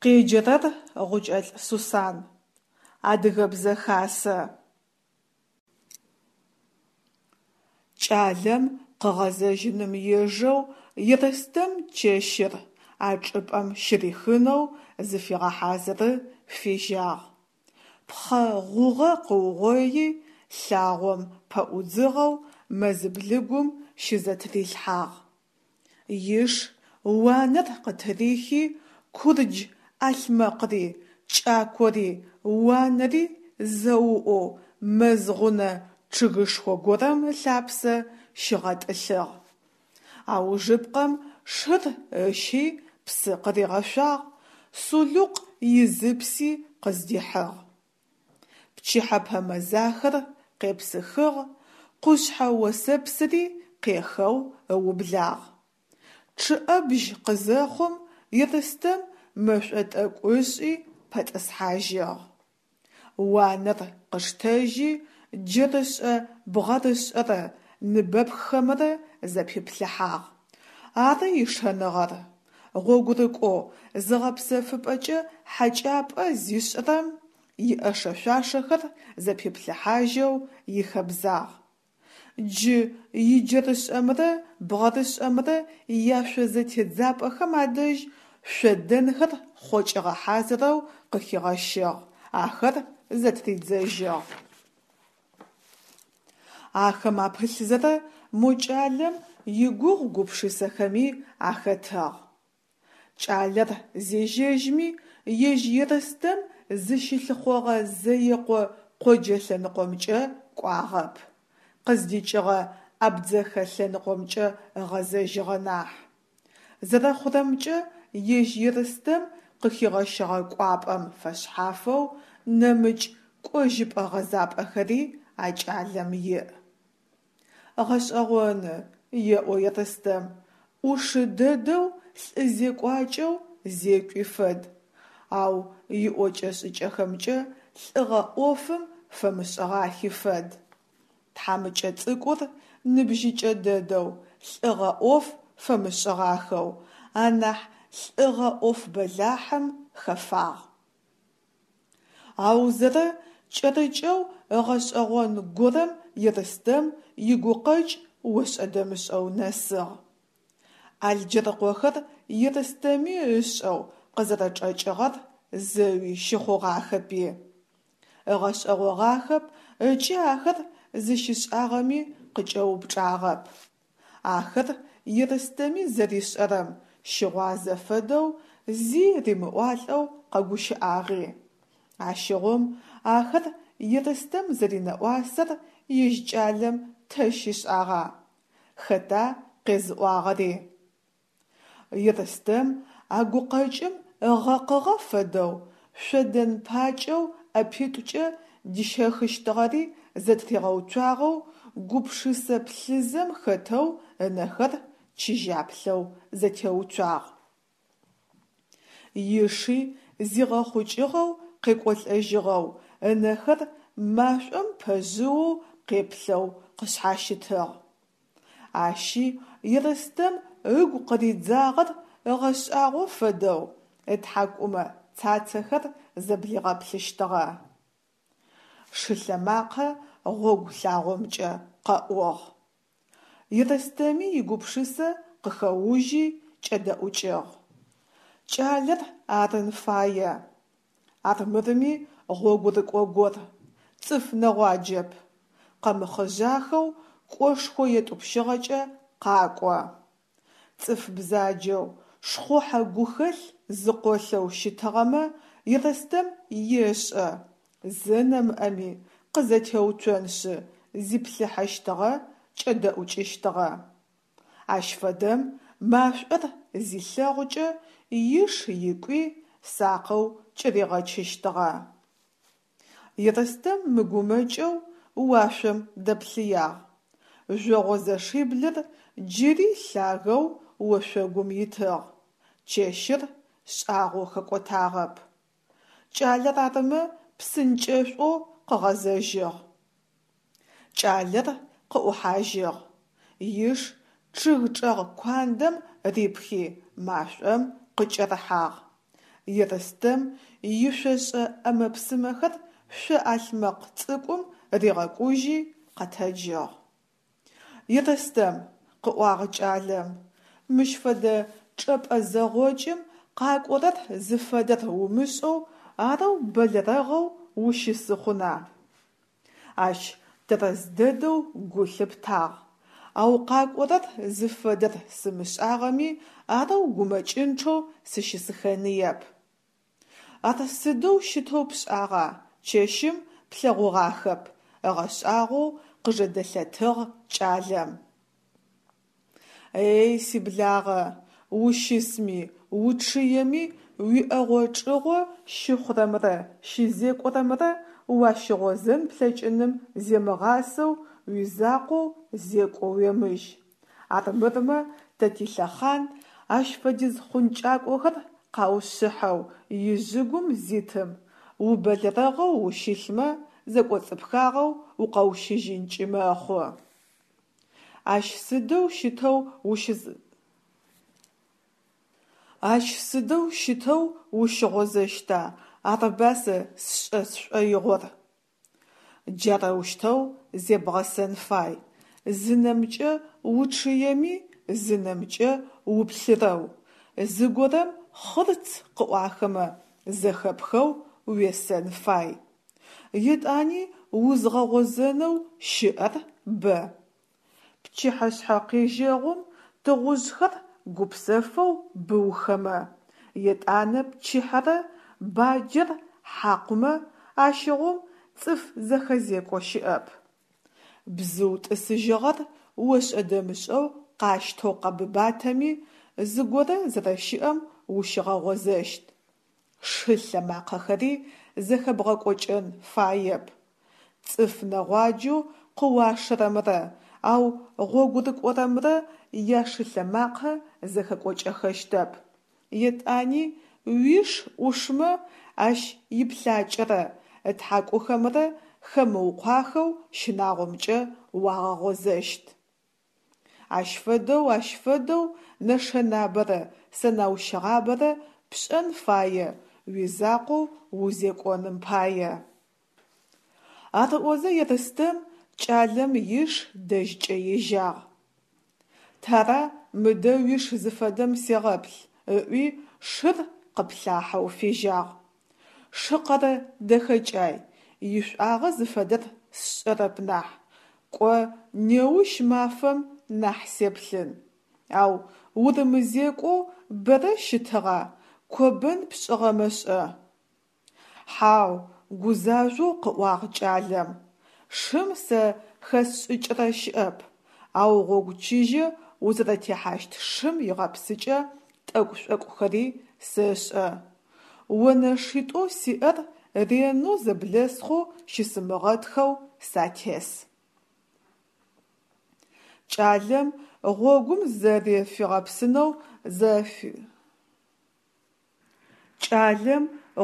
Къеджэрэр Гъукӏэлӏ Сусан. Адыгэбзэ хасэ. Кӏалэм къыгъэзэжьыным ежэу Ерстэм чэщыр а чӏыпӏэм щырихынэу зыфегъэхьазыры фежьагъ. Пхъэ гъугъэ къыугъои, лъагъом пэӏудзыгъэу мэз блыгум щызэтырилъхьагъ. Иш уанэр къытырихи, курдж ӏалъмэкъри, кӏакори, уанэри зэуӏоу мэз гъунэ чъыгышхо горэм ылъапсэ щигъэтӏылъыгъ. Аужыпкъэм шыр ыщи псы къыригъэшъуагъ, сулыкъу изыпси къыздихьыгъ. Пчыхьэпэ мэзахэр къепсыхыгъ, къушъхьэ осэпсыри къехэу ыублагъ. Чъыӏэбжь къызэхъум Ерстэм мэшӏо тӏэкӏу ышӏи пэтӏысхьажьыгъ. Уанэр къыштэжьи, джэрышӏэ бгъэрышӏэрэ ныбэпххэмрэ зэпиплъыхьагъ. Ары ишэныгъэр. Гъогурыкӏоу зыгъэпсэфыпӏэкӏэ хьакӏапӏэ зишӏырэм иӏэшэ-шъуашэхэр зэпиплъыхьажьэу ихэбзагъ. Джы иджэрышӏэмрэ бгъэрышӏэмрэ яшъозэтедзапӏэхэм адэжь шъодэнхэр хъокӏыгъэ хьазырэу къыхигъэщыгъ, ахэр зэтыридзэжьыгъ. Ахэм апылъзэрэ мо кӏалэм игугъу гупшысэхэми ахэтыгъ. Кӏалэр зежьэжьми, ежь Ерстэм зыщылъыхъогъэ Зэекъо къоджэ лъэныкъомкӏэ кӏуагъэп, къыздикӏыгъэ Абдзэхэ лъэныкъомкӏэ ыгъэзэжьыгъэ нахь. Зэрэхъурэмкӏэ, ежь Ерстэм къыхигъэщыгъэ кӏуапӏэм фэшъхьафэу нэмыкӏ кӏожьыпӏэ-гъэзапӏэхэри а кӏалэм иӏ. Гъэшӏэгъоны, еӏо Ерстэм, ӏушы дэдэу лӏы зекӏуакӏэу зекӏуи фэд, ау иӏокӏэ-шӏыкӏэхэмкӏэ лӏыгъэ ӏофым фэмышӏыгъахи фэд. Тхьамыкӏэ цӏыкӏур ныбжьыкӏэ дэдэу, лӏыгъэ ӏоф фэмышӏыгъахэу, анахь лӏыгъэ ӏоф бэлахьым хэфагъ. Аузэрэ кӏэрыкӏэу ыгъэшӏэгъон горэм Ерстэм игукъэкӏ ошӏэ-дэмышӏэу нэсыгъ. Алджэрыкъохэр Ерстэми ышӏэу къызэрэчӏэкӏыгъэр зэуи щыхъугъахэпи. Ыгъэшӏэгъогъахэп ыкӏи ахэр зыщишӏагъэми къыкӏэупчӏагъэп. Ахэр Ерстэми зэришӏэрэм щыгъуазэ фэдэу зи римыӏуалӏэу къэгущыӏагъи. Ащыгъум ахэр Ерстэм зэринэӏуасэр ежь кӏалэм тэ щишӏагъа, хэта къезыӏуагъэри? Ерстэм а гукъэкӏым ыгъэкъыгъэ фэдэу шъодэн пакӏэу ӏэпитӏукӏэ дищэхыщтыгъэри зэтыригъэуцуагъэу гупшысэ плъызэм хэтэу ынэхэр чыжьаплъэу зэтеуцуагъ. Иши зигъэхъукӏыгъэу къекӏолӏэжьыгъэу, ынэхэр машӏом пэжъыоу къеплъэу къышъхьащытыгъ. Ащи Ерстэм ыгу къыридзагъэр ыгъэшӏагъо фэдэу ытхьакӏумэ цацэхэр зэблигъэплъыщтыгъэ. Шылъэмакъэ гъогу лъагъомкӏэ къэӏугъ. Ерстэми игупшысэ къыхэужьи кӏэдэӏукӏыгъ. Кӏалэр арын фае. Армырми гъогурыкӏо гор, цӏыф нэгъуаджэп, къэмыхъыжъахэу кӏошхо етӏупщыгъэкӏэ къакӏо. Цӏыф бзаджэу, шхъухьэ гухэлъ зыкъолъэу щытыгъэмэ Ерстэм ешӏэ, зэ нэмыӏэми къызэтеуцоншъы зиплъыхьэщтыгъэ, кӏэдэӏукӏыщтыгъэ. Ащ фэдэм машӏор зилъэгъукӏэ иш икӏуи сакъэу кӏыригъэчыщтыгъэ. Ерстэм мыгумэкӏэу уашъом дэплъыягъ. Жъогъо зэшиблыр джыри лъагэу ошъогум итыгъ, чэщыр шӏагъоу хэкӏотагъэп. Кӏалэр арымэ псынкӏэшӏоу къыгъэзэжьыгъ. Кӏалэр къыӏухьажьыгъ. Иш чъыг чӏэгъ куандэм рипхи машӏом къыкӏэрыхьагъ. Ерстэм ишъошӏэ ӏэмэ-псымэхэр шъо ӏалъмэкъ цӏыкӏум ригъэкӏужьи, къэтэджыгъ. Ерстэм, къыӏуагъ кӏалэм, мыщ фэдэ чӏэпӏэ зэгъокӏым къакӏорэр зыфэдэр умышӏэу арэу бэлэрэгъэу ущысы хъуна? Ащ тэрэз дэдэу гу лъыптагъ, ау къакӏорэр зыфэдэр сымышӏагъэми арэу гумэкӏынчъэу сыщысыхэныеп. Ар сыдэу щытэу пшӏагъа, чэщым плъэгъугъахэп, ыгъэшӏагъоу къыжэдэлъэтыгъ кӏалэм. Эй, сиблагъэ, ущысми, учъыеми уиӏэгъо-чӏыгъо щыхъурэмрэ щызекӏорэмрэ уащыгъозэн плъэкӏыным земыгъасэу уизакъоу зекӏо уемыжь. Армырмэ тэ тилъэхъан ащ фэдиз хъункӏакӏохэр къаушъыхьэу ижъыгум зитым, убэлэрэгъэу ущылъмэ, зэкӏоцӏыпхагъэу укъэущыжьынкӏи мэхъу. Ащ сыдэу щытэу ущыз Ащ сыдэу щытэу ущыгъозэщта, арыба сэ сшӏэ сшӏоигъор? Джарэущтэу зебгъэсэн фай, зы нэмкӏэ учъыеми, зы нэмкӏэ уплъырэу, зыгорэм хъырц къыӏуахэмэ зэхэпхэу уесэн фай. Етӏани узгъэгъозэнэу щыӏэр бэ. Пчыхьэшъхьэ къежьэгъум тыгъужъхэр гупсэфэу быухэмэ, етӏанэ пчыхьэрэ баджэр хьакъумэ, ащыгъум цӏыф зэхэзекӏо щыӏэп. Бзыу тӏысыжьыгъэр ошӏэ-дэмышӏэу къащтэу къэбыбатэми, зыгорэ зэрэщыӏэм ущигъэгъозэщт. Шы лъэмакъэхэри зэхэбгъэкӏокӏэн фаеп. Цӏыф нэгъуаджэу къыуашэрэмрэ ау гъогурыкӏорэмрэ яшылъэмакъэ зэхэкӏокӏэхэщтэп. Етӏани уиш ӏушмэ, ащ иплъакӏэрэ ытхьакӏухэмрэ хэмыукъуахэу щынагъомкӏэ уагъэгъозэщт. Ащ фэдэу, ащ фэдэу нэшэнабэрэ сэнаущыгъабэрэ пшӏэн фае уизакъоу узекӏоным пае. Ар ыӏозэ Ерстэм кӏалэм иш дэжькӏэ ежьагъ. Тара мыдэ уиш зыфэдэм сегъэплъ, ыӏуи шыр къыплъахьэу фежьагъ. Шы къэрэ дэхэкӏай, ишӏуагъэ зыфэдэр сшӏэрэп нахь, кӏо неущ мафэм нахь сеплъын. Ау урымызекӏоу бэрэ щытыгъа, кобэн пшӏыгъэмэ шӏэ? Хьау, гузажъоу къыӏуагъ кӏалэм, шым сэ хэсшӏыкӏырэ щыӏэп, ау гъогу чыжьэ узэрэтехьащт шым игъэпсыкӏэ тӏэкӏу-шӏокӏухэри сэшӏэ. Онэшитӏоу сиӏэр ренэу зэблэсхъоу щысымыгъэтхэу сатес. Кӏалэм гъогум зызэрэфигъэпсынэу зэфи. Кӏалэм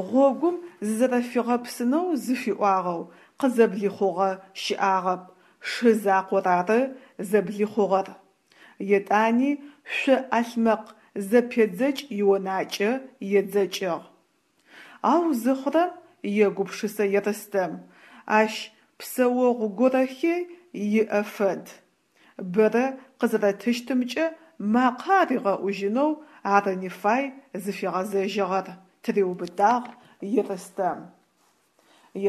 гъогум зызэрэфигъэпсынэу зыфиӏуагъэу къызэблихъугъэ щыӏагъэп, шы закъор ары зэблихъугъэр. Етӏани шъо ӏалъмэкъ зэпедзэкӏ ионакӏэ едзэкӏыгъ. Ау зыхъурэм, егупшысэ Ерстэм, ащ псэогъу горэхи иӏэ фэд. Бэрэ къызэрэтыщтымкӏэ макъэ аригъэӏужьынэу арыни фай зыфигъэзэжьыгъэр, тыриубытагъ Ерстэм.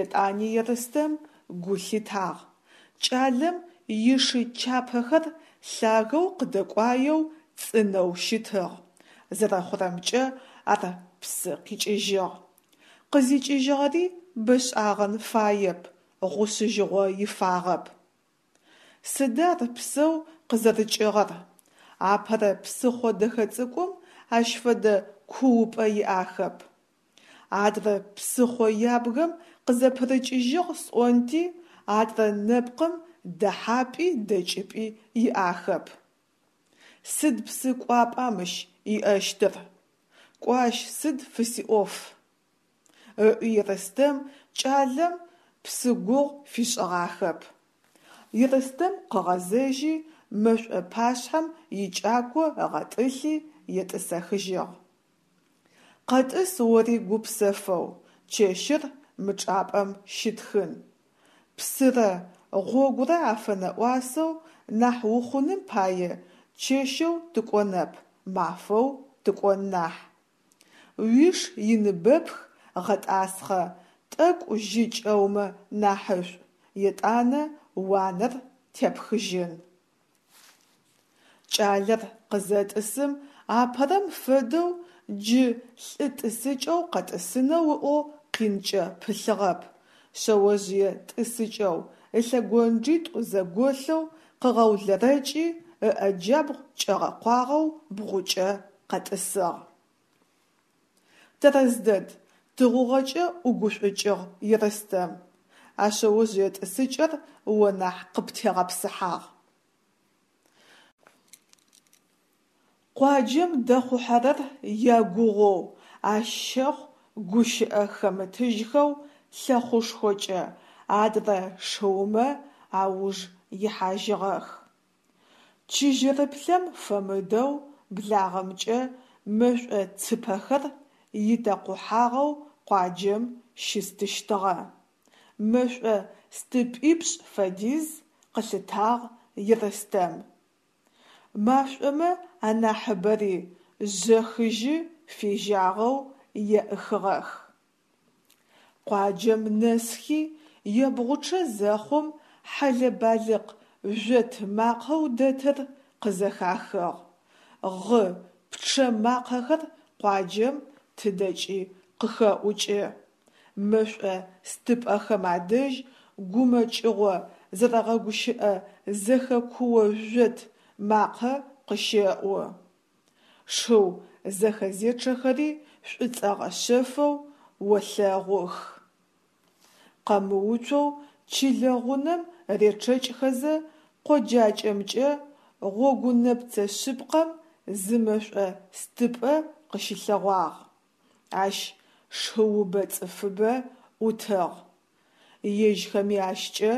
Етӏани Ерстэм гу лъитагъ, кӏалэм ишы чапэхэр лъагэу къыдэкӏуаеу цӏынэу щытыгъ, зэрэхъурэмкӏэ ар псы къикӏыжьыгъ. Къызикӏыжьыгъэри бэшӏагъэн фаеп, гъушъыжьыгъо ифагъэп. Сыда ар псэу къызэрыкӏыгъэр? Апэрэ псыхъо дэхэ цӏыкӏум ащ фэдэ куупӏэ иӏахэп. Адрэ псыхъо ябгэм къызэпырыкӏыжьыгъ сӏонти, адрэ нэпкъым дэхьапӏи дэкӏыпӏи иӏахэп. Сыд псы кӏуапӏа мыщ иӏэщтыр? Кӏо ащ сыд фысиӏоф? Ыӏуи Ерстэм кӏалэм псы гугъу фишӏыгъахэп. Ерстэм къыгъэзэжьи, мэшӏо пашъхьэм икӏако ыгъэтӏылъи етӏысэхыжьыгъ. Къэтӏыс ори гупсэфэу, чэщыр мы чӏапӏэм щитхын. Псырэ гъогурэ афэнэӏуасэу нахь ухъуным пае чэщэу тыкӏонэп, мафэу тыкӏон нахь. Уиш иныбэпх гъэтӏасхъэ, тӏэкӏу жьы кӏэумэ нахьышӏу, етӏанэ уанэр тепхыжьын. Кӏалэр къызэтӏысым апэрэм фэдэу джы лӏы тӏысыкӏэу къэтӏысынэу ыӏоу къинкӏэ пылъыгъэп, шъэожъые тӏысыкӏэу, ылъэгонджитӏу зэголъэу къыгъэулэрэкӏи, ыӏэ джабгъу кӏэгъэкъуагъэу бгъукӏэ къэтӏысыгъ. Тэрэз дэд, тыгъугъэкӏэ ӏугушӏукӏыгъ Ерстэм, а шъэожъые тӏысыкӏэр о нахь къыптегъэпсыхьагъ. Къуаджэм дэхъухьэрэр ягугъоу, ащ щэхъу гущыӏэ хэмытыжьхэу лъэхъушхокӏэ адрэ шыумэ ауж ихьажьыгъэх. Чыжьэрыплъэм фэмыдэу благъэмкӏэ мэшӏо цыпэхэр итэкъухьагъэу къуаджэм щыстыщтыгъэ. Мэшӏо стыпӏипшӏ фэдиз къылъытагъ Ерстэм. Машӏомэ анахьыбэри жъэхыжьы фежьагъэу еӏыхыгъэх. Къуаджэм нэсхи, ебгъучъэ зэхъум хьэлэ-балыкъ жъот макъэу дэтыр къызэхахыгъ. Гъы, пчъэ макъэхэр къуаджэм тыдэкӏи къыхэӏукӏы. Мэшӏо стыпӏэхэм адэжь гумэкӏыгъо зэрэгъэгущыӏэ зэхэкуо жъот макъэ къыщэӏу. Шыу зэхэзечъэхэри шӏуцӏэгъэ шъэфэу олъэгъух. Къэмыуцоу чылэ гъунэм речъэкӏхэзэ къоджакӏэмкӏэ гъогунэпцэ шъыпкъэм зы мэшӏо стыпӏэ къыщылъэгъуагъ. Ащ шыубэ цӏыфыбэ ӏутыгъ. Ежьхэми ащкӏэ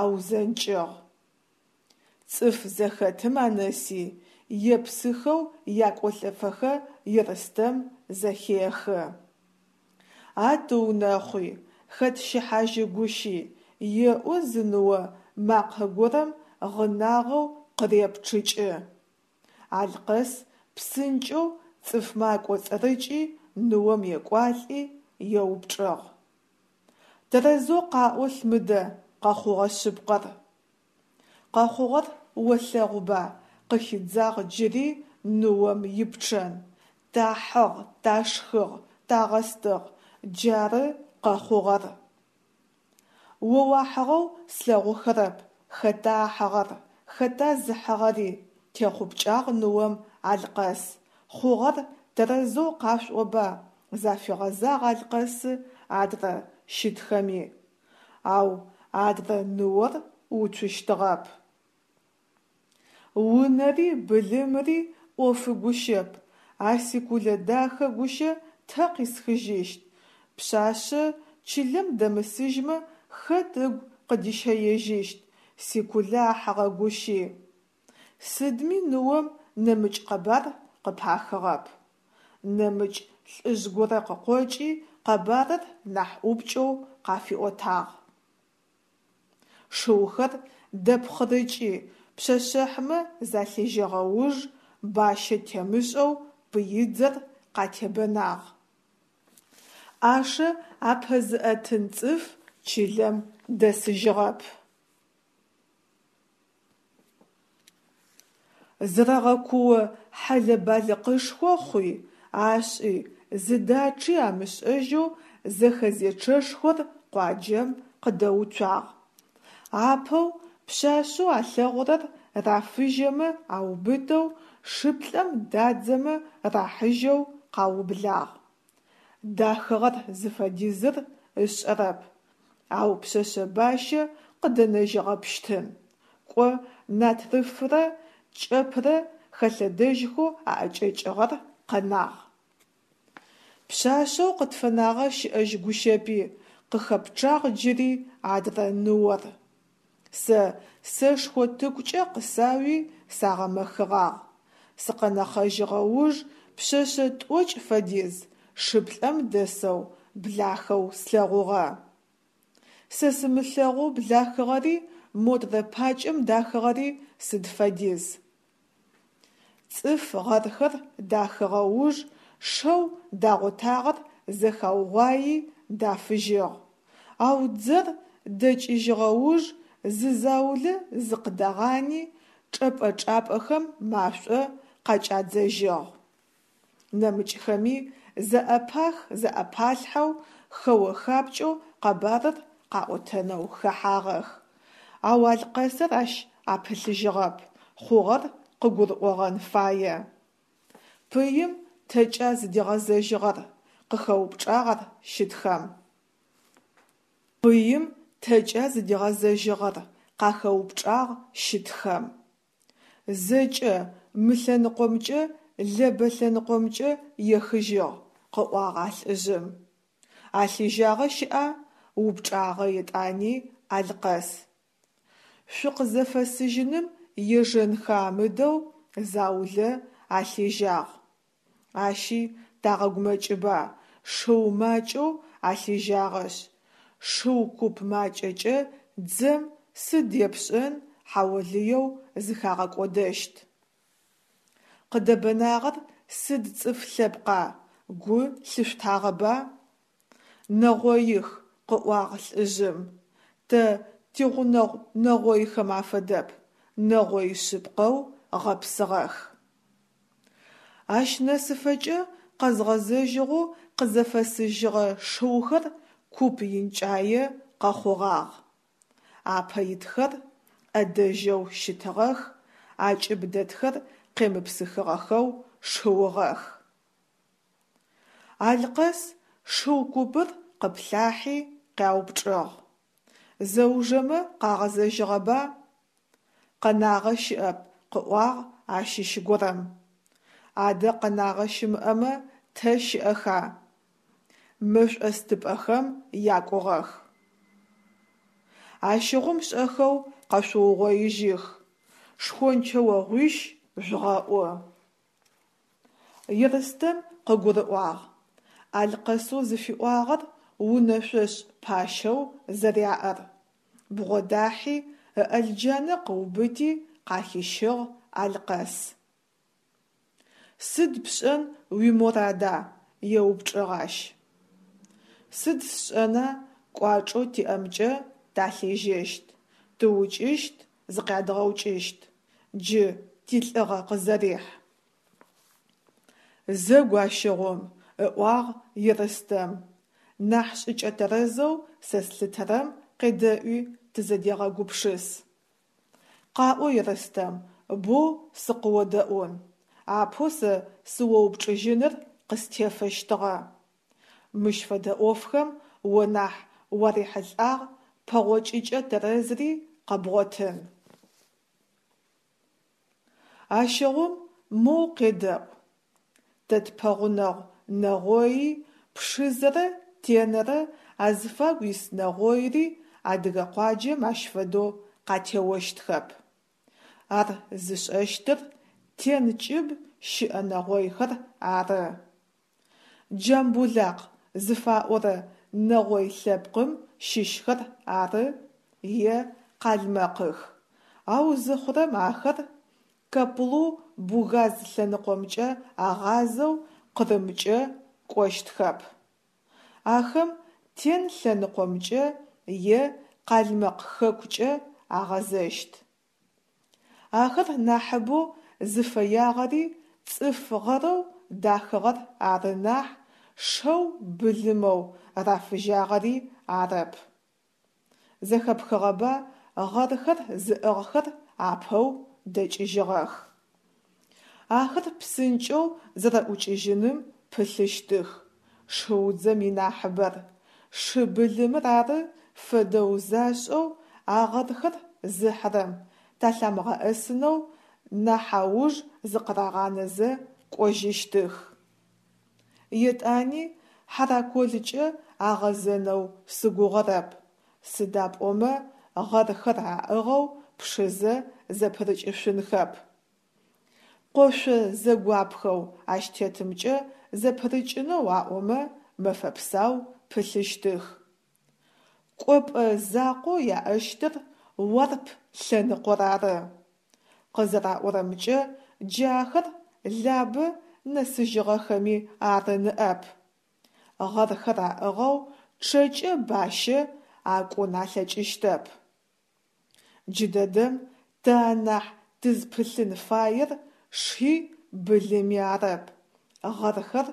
аузэнкӏыгъ. Цӏыф зэхэтым анэси, епсыхэу якӏолӏэфэхэ Ерстэм зэхехы. А тыунэхъуи, хэт щыхьажьы гущи, еӏо зы ныо макъэ горэм гъынагъэу къырепчъыкӏы. Алъкъэс псынкӏэу цӏыфмэ акӏоцӏырыкӏи ныом екӏуалӏи еупчӏыгъ: Тэрэзэу къаӏолъ мыдэ къэхъугъэ шъыпкъэр. Къэхъугъэр олъэгъуба, къыхидзагъ джыри ныом ипчъэн, тахьыгъ, ташхыгъ, тагъэстыгъ, джары къэхъугъэр. О уахьыгъэу слъэгъухэрэп, хэта ахьыгъэр, хэта зыхьыгъэри, техъупкӏагъ ныом Алъкъэс, хъугъэр тэрэзэу къашъуӏоба, зафигъэзагъ Алъкъэсы адрэ щытхэми. Ау адрэ ныор уцущтыгъэп. Унэри былымри ӏофы гущэп, а си Кулэ дахэ гущэ тэ къисхыжьыщт, пшъашъэ чылэм дэмысыжьмэ хэт ыгу къыдищэежьыщт, си Кулэ ахьыгъэ гущи. Сыдми ныом нэмыкӏ къэбар къыпахыгъэп. Нэмыкӏ лӏыжъ горэ къыкъокӏи къэбарыр нахь ӏупкӏэу къафиӏотагъ. Шыухэр дэпхъырыкӏи пшъэшъэхьмэ залъежьэгъэ уж бащэ темышӏэу пыидзэр къатебэнагъ. Ӏашэ апэзыӏэтын цӏыф чылэм дэсыжьыгъэп. Зэрэгъэкуо хьэлэ-балыкъышхо хъуи, ашӏи, зыдачъи амышӏэжьэу зэхэзечъэшхор къуаджэм къыдэуцуагъ. Апэу пшъашъэу алъэгъурэр рафыжьэмэ аубытэу, шыплӏэм дадзэмэ рахьыжьэу къаублагъ. Дахыгъэр зыфэдизыр ышӏэрэп, ау пшъэшъэ бащэ къыдэнэжьыгъэпщтын. Кӏо натрыфрэ кӏэпрэ хэлъэдэжьхэу аӏэкӏэкӏыгъэр къэнагъ. Пшъашъэу къытфэнагъэ щыӏэжь гущэпи, къыхэпчъагъ джыри адрэ ныор. Сэ сэшхо тыкукӏэ къысауи сагъэмэхыгъагъ. Сыкъэнэхъэжьыгъэ уж пшъэшъэ тӏокӏ фэдиз шыплӏэм дэсэу блахэу слъэгъугъэ. Сэ сымылъэгъоу блахыгъэри модрэ пакӏэм дахыгъэри сыд фэдиз. Цӏыф гъэрхэр дахыгъэ уж шэу дагъотагъэр зэхаугъуаи дафыжьыгъ. Ау дзэр дэкӏыжьыгъэ уж зы заулэ зыкъыдагъани чӏэпӏэ-чӏапӏэхэм машӏо къакӏадзэжьыгъ. Нэмыкӏхэми зэӏэпах-зэӏэпалъхьэу, хэо-хапкӏэу къэбарыр къаӏотэнэу хэхьагъэх. Ау Алъкъэсыр ащ апылъыжьыгъэп, хъугъэр къыгурыӏогъэн фае. Пыим тэкӏа зыдигъэзэжьыгъэр? къыхэупчӏагъ ар щытхэм. Пыим тэкӏа зыдигъэзэжьыгъэр? къахэупчӏагъ щытхэм. Зэкӏэ мы лъэныкъомкӏэ Лэбэ лъэныкъомкӏэ ехыжьыгъ, къыӏуагъ а лӏыжъым. Алъежьагъэ щыӏа? упчӏагъэ етӏани Алъкъэс. Шъукъызэфэсыжьыным ежэнхэ амыдэу заулэ алъежьагъ. Ащи тагъэгумэкӏыба, шыу макӏэу алъежьагъэшъ, шыу куп макӏэкӏэ дзэм сыд епшӏэн, хьаолыеу зыхагъэкӏодэщт. Къыдэбэнагъэр сыд цӏыф лъэпкъа, гу лъышъутагъэба? Нэгъоих, къыӏуагъ лӏыжъым. Тэ тигъунэгъу нэгъойхэм афэдэп, нэгъой шъыпкъэу гъэпсыгъэх. Ащ нэсыфэкӏэ къэзгъэзэжьыгъэу къызэфэсыжьыгъэ шыухэр куп инкӏае къэхъугъагъ. Апэ итхэр ӏэдэжьэу щытыгъэх, акӏыб дэтхэр къемыпсыхыгъэхэу шыугъэх. Алъкъэс шыу купыр къыплъахьи къяупчӏыгъ: «Зэужэмэ къагъэзэжьыгъэба?» Къэнагъэ щыӏэп, къыӏуагъ ащыщ горэм. Адэ къэнагъэ щымыӏэмэ, тэ щыӏэха? Мэшӏостыпӏэхэм якӏугъэх. Ащыгъум шӏэхэу къэшъуугъоижьых, шхончэогъуищ жъугъэӏу. Ерстэм къыгурыӏуагъ Алъкъэсэу зыфиӏуагъэр унэшъошӏ пащэу зэряӏэр. Бгъодахьи, ыӏэлджанэ къыубыти къахищыгъ Алъкъэс. Сыд пшӏэн уиморада? еупчӏыгъ ащ. Сыд сшӏэна, кӏуачӏэу тиӏэмкӏэ талъежьэщт, тыукӏыщт, зыкъядгъэукӏыщт. Джы тилӏыгъэ къызэрихь. Зэгу ащыгъум, ыӏуагъ Ерстэм, нахь шӏыкӏэ тэрэзэу сэ слъытэрэм къедэӏуи тызэдегъэгупшыс. Къаӏо, Ерстэм, боу сыкъыодэӏун, апэу сэ сыоупчӏыжьыныр къыстефэщтыгъэ. Мыщ фэдэ ӏофхэм о нахь уарихьылӏагъ, пэгъокӏыкӏэ тэрэзри къэбгъотын. Ащыгъум моу къедэӏу. Тэ тпэгъунэгъу нэгъои Пшызэрэ Тенэрэ азыфагу ис нэгъойри адыгэ къуаджэм ащ фэдэу къатеощтхэп. Ар зышӏэщтыр Тен кӏыб щыӏэ нэгъойхэр ары. Джамбулакъ зыфаӏорэ нэгъой лъэпкъым щыщхэр ары е къалмэкъых, ау зыхъурэм ахэр Каплу-Бугаз лъэныкъомкӏэ агъазэу Къырымкӏэ кӏощтхэп. Ахэм Тен лъэныкъомкӏэ е Къалмэкъ хэкукӏэ агъэзэщт. Ахэр нахьыбэу зыфэягъэри цӏыф гъэрэу дахыгъэр ары нахь, шэу былымэу рафыжьагъэри арэп. Зэхэпхыгъэба гъэрхэр зыӏыгъхэр апэу дэкӏыжьыгъэх. Ахэр псынкӏэу зэрэӏукӏыжьыным пылъыщтых, шыудзэм инахьыбэр, шы былымыр ары фэдэу зашӏэу а гъэрхэр зыхьырэм талъамыгъэӏэсынэу нахь ауж зыкъырагъанэзэ кӏожьыщтых. Етӏани Хьараколкӏэ агъэзэнэу сыгугъэрэп, сыда пӏомэ гъэрхэр аӏыгъэу Пшызэ зэпырыкӏышъунхэп. Къошъо зэгуапхэу ащ тетымкӏэ зэпырыкӏынэу аӏомэ мэфэ псау пылъыщтых. Кӏопӏэ закъоу яӏэщтыр Уарп лъэныкъор ары. Къызэраӏорэмкӏэ, джы ахэр Лабэ нэсыжьыгъэхэми ары ныӏэп. Гъэрхэр аӏыгъэу чъэкӏэ бащэ акӏун алъэкӏыщтэп. Джыдэдэм тэ анахь тызпылъын фаер шхи былыми арэп, гъэрхэр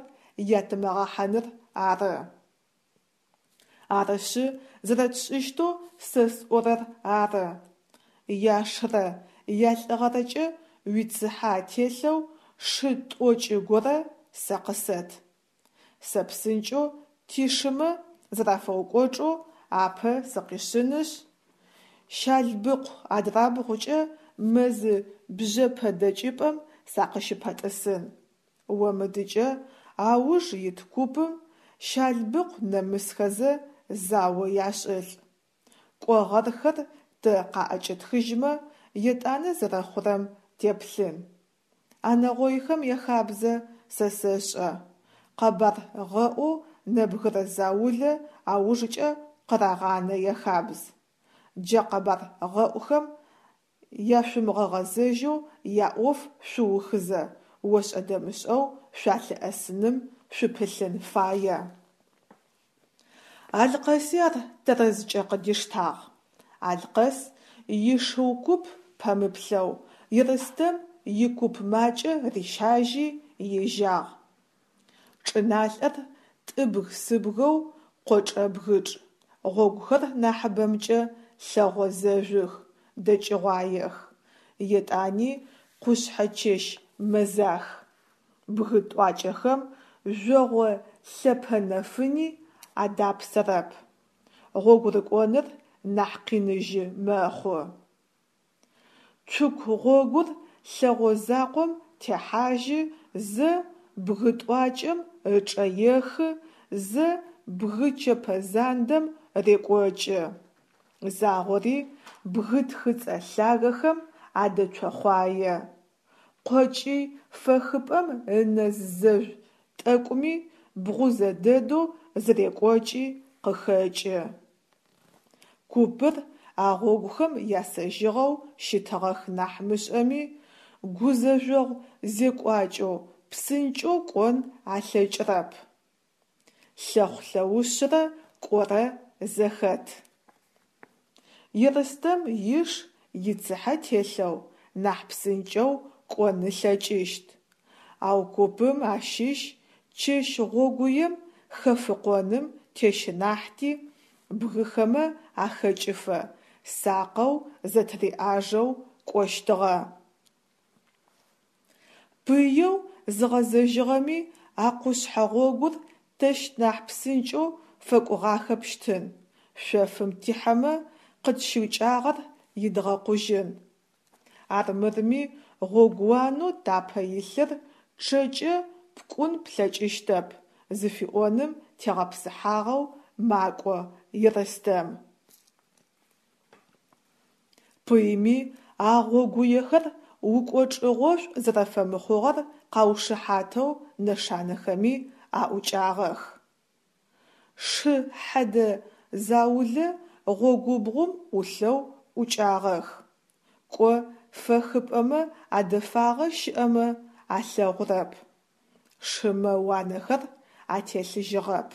ятымыгъэхьаныр ары. Арышъы, зэрэтшӏыщтэу сэ сӏорэр ары: яшрэ ялӏыгъэрэкӏэ уицыхьэ ателъэу шы тӏокӏы горэ сэ къысэт. Сэ псынкӏэу тишымэ зэрафэукӏочӏэу апэ сыкъишъынышъ, Щалбыкъу адрабгъукӏэ мэзы бжъэпэ дэкӏыпӏэм сакъыщыпэтӏысын. О мыдыкӏэ ауж ит купым Щалбыкъу нэмысхэзэ зао яшӏылӏ. Кӏо гъэрхэр тэ къаӏэкӏэтхыжьмэ, етӏанэ зэрэхъурэм теплъын. А нэгъойхэм яхабзэ сэ сэшӏэ: къэбар гъэӏоу нэбгырэ заулэ аужкӏэ къырагъанэ яхабз. Джа къэбар гъэӏухэм яшъумыгъэгъэзэжьэу яӏоф шъуухызэ ошӏэ-дэмышӏэу шъуалъыӏэсыным шъупылъын фае. Алъкъэси ар тэрэзкӏэ къыдиштагъ. Алъкъэс ишыу куп пэмыплъэу Ерстэм икуп макӏэ рищажьи ежьагъ. Чӏыналъэр тӏыбг-сыбгэу къочӏэбгычӏ, гъогухэр нахьыбэмкӏэ лъэгъо зэжъух, дэкӏыгъуаех. Етӏани къушъхьэ чэщ мэзах. Бгы тӏуакӏэхэм жъогъо лъэпэ нэфыни адапсэрэп. Гъогурыкӏоныр нахь къиныжьы мэхъу. Цуку гъогур лъэгъо закъом техьажьы, зэ бгы тӏуакӏэм ычӏэ ехы, зэ бгы чэпэ зандэм рекӏокӏы. Загъори бгы тхыцӏэ лъагэхэм адэцохъуае. Къокӏый фэхыпӏэм ынэз зэжъу тӏэкӏуми бгъузэ дэдэу зырекӏокӏи къыхэкӏы. Купыр а гъогухэм ясэжьыгъэу щытыгъэх нахь мышӏэми, гузэжъогъу зекӏуакӏэу псынкӏэу кӏон алъэкӏырэп. Лъэхъу-лъэушъырэ кӏорэ зэхэт. Ерстэм иш ицыхьэ телъэу нахь псынкӏэу кӏон ылъэкӏыщт, ау купым ащыщ чэщ гъогуем хэфыкъоным тещынахьти, бгыхэмэ ахэкӏыфэ сакъэу зэтыриӏажэу кӏощтыгъэ. Пыеу зыгъэзэжьыгъэми а къушъхьэ гъогур тэщ нахь псынкӏэу фэкӏугъахэпщтын, шъофым тихьэмэ, къытщыкӏагъэр идгъэкъужьын. Армырми гъогууанэу тапэ илъыр чъэкӏэ пкӏун плъэкӏыщтэп зыфиӏоным тегъэпсыхьагъэу макӏо Ерстэм. Пыйми а гъогуехэр укӏочӏыгъошӏу зэрэфэмыхъугъэр къаушыхьатэу нэшанэхэми аӏукӏагъэх. Шы хьэдэ заулэ гъогубгъум ӏулъэу ӏукӏагъэх. Кӏо фэхыпӏэмэ адэфагъэ щыӏэмэ алъэгъурэп. Шымэ уанэхэр ателъыжьыгъэп.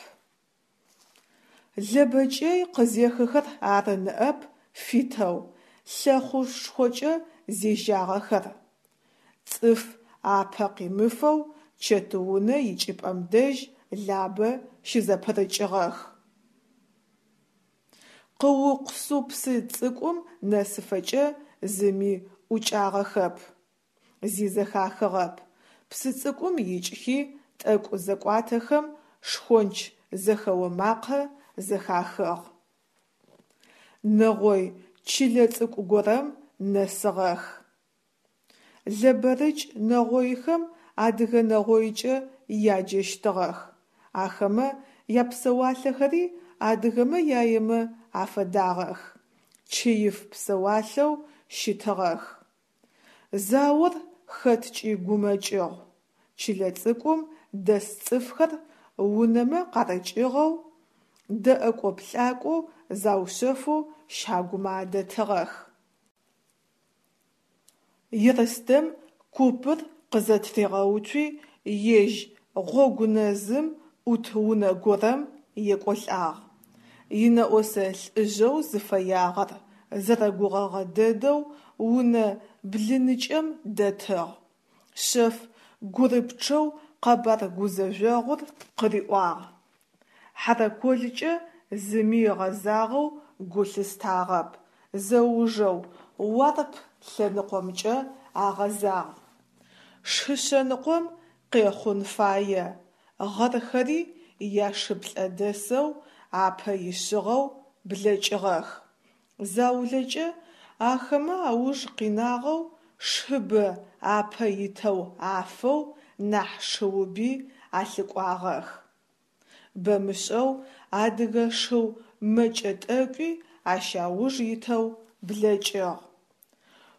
Лэбэ кӏэй къызехыхэр ары ныӏэп фитэу, лъэхъушхокӏэ зежьагъэхэр. Цӏыф апэ къимыфэу Чэтыунэ икӏыпӏэм дэжь Лабэ щызэпырыкӏыгъэх. Къыукъсу псы цӏыкӏум нэсыфэкӏэ зыми ӏукӏагъэхэп. Зи зэхахыгъэп. Псы цӏыкӏум икӏхи тӏэкӏу зэкӏуатэхэм шхонч зэхэо макъэ зэхахыгъ. Нэгъой чылэ цӏыкӏу горэм нэсыгъэх. Лэбэрыкӏ нэгъойхэм адыгэ нэгъойкӏэ яджэщтыгъэх. Ахэмэ япсэуалъэхэри адыгэмэ яемэ афэдагъэх, чыиф псэуалъэу щытыгъэх. Заор хэткӏи гумэкӏыгъу. Чылэ цӏыкӏум дэс цӏыфхэр унэмэ къарыкӏыгъэу, дэӏэкӏо-плъакӏоу заушъэфэу щагумэ адэтыгъэх. Ерстэм купыр къызэтыригъэуцуи ежь гъогу нэзым ӏут унэ горэм екӏолӏагъ. Инэӏосэ лӏыжъэу зыфэягъэр зэрэгугъэгъэ дэдэу унэ блыныкӏэм дэтыгъ, шъэф гурыпчъэу къэбар гузэжъогъур къыриӏуагъ. Хьэрэколкӏэ зыми ыгъэзагъэу гу лъыстагъэп, зэужэу Уарп лъэныкъомкӏэ агъэзагъ. Шы шъэныкъом къехъун фае, гъэрхэри яшыплӏэ дэсэу апэ ишъыгъэу блэкӏыгъэх. Заулэкӏэ ахэмэ ауж къинагъэу шыбэ апэ итэу афэу нахь шыуби алъыкӏуагъэх. Бэмышӏэу адыгэ шыу мэкӏэ тӏэкӏуи ащ ауж итэу блэкӏыгъ.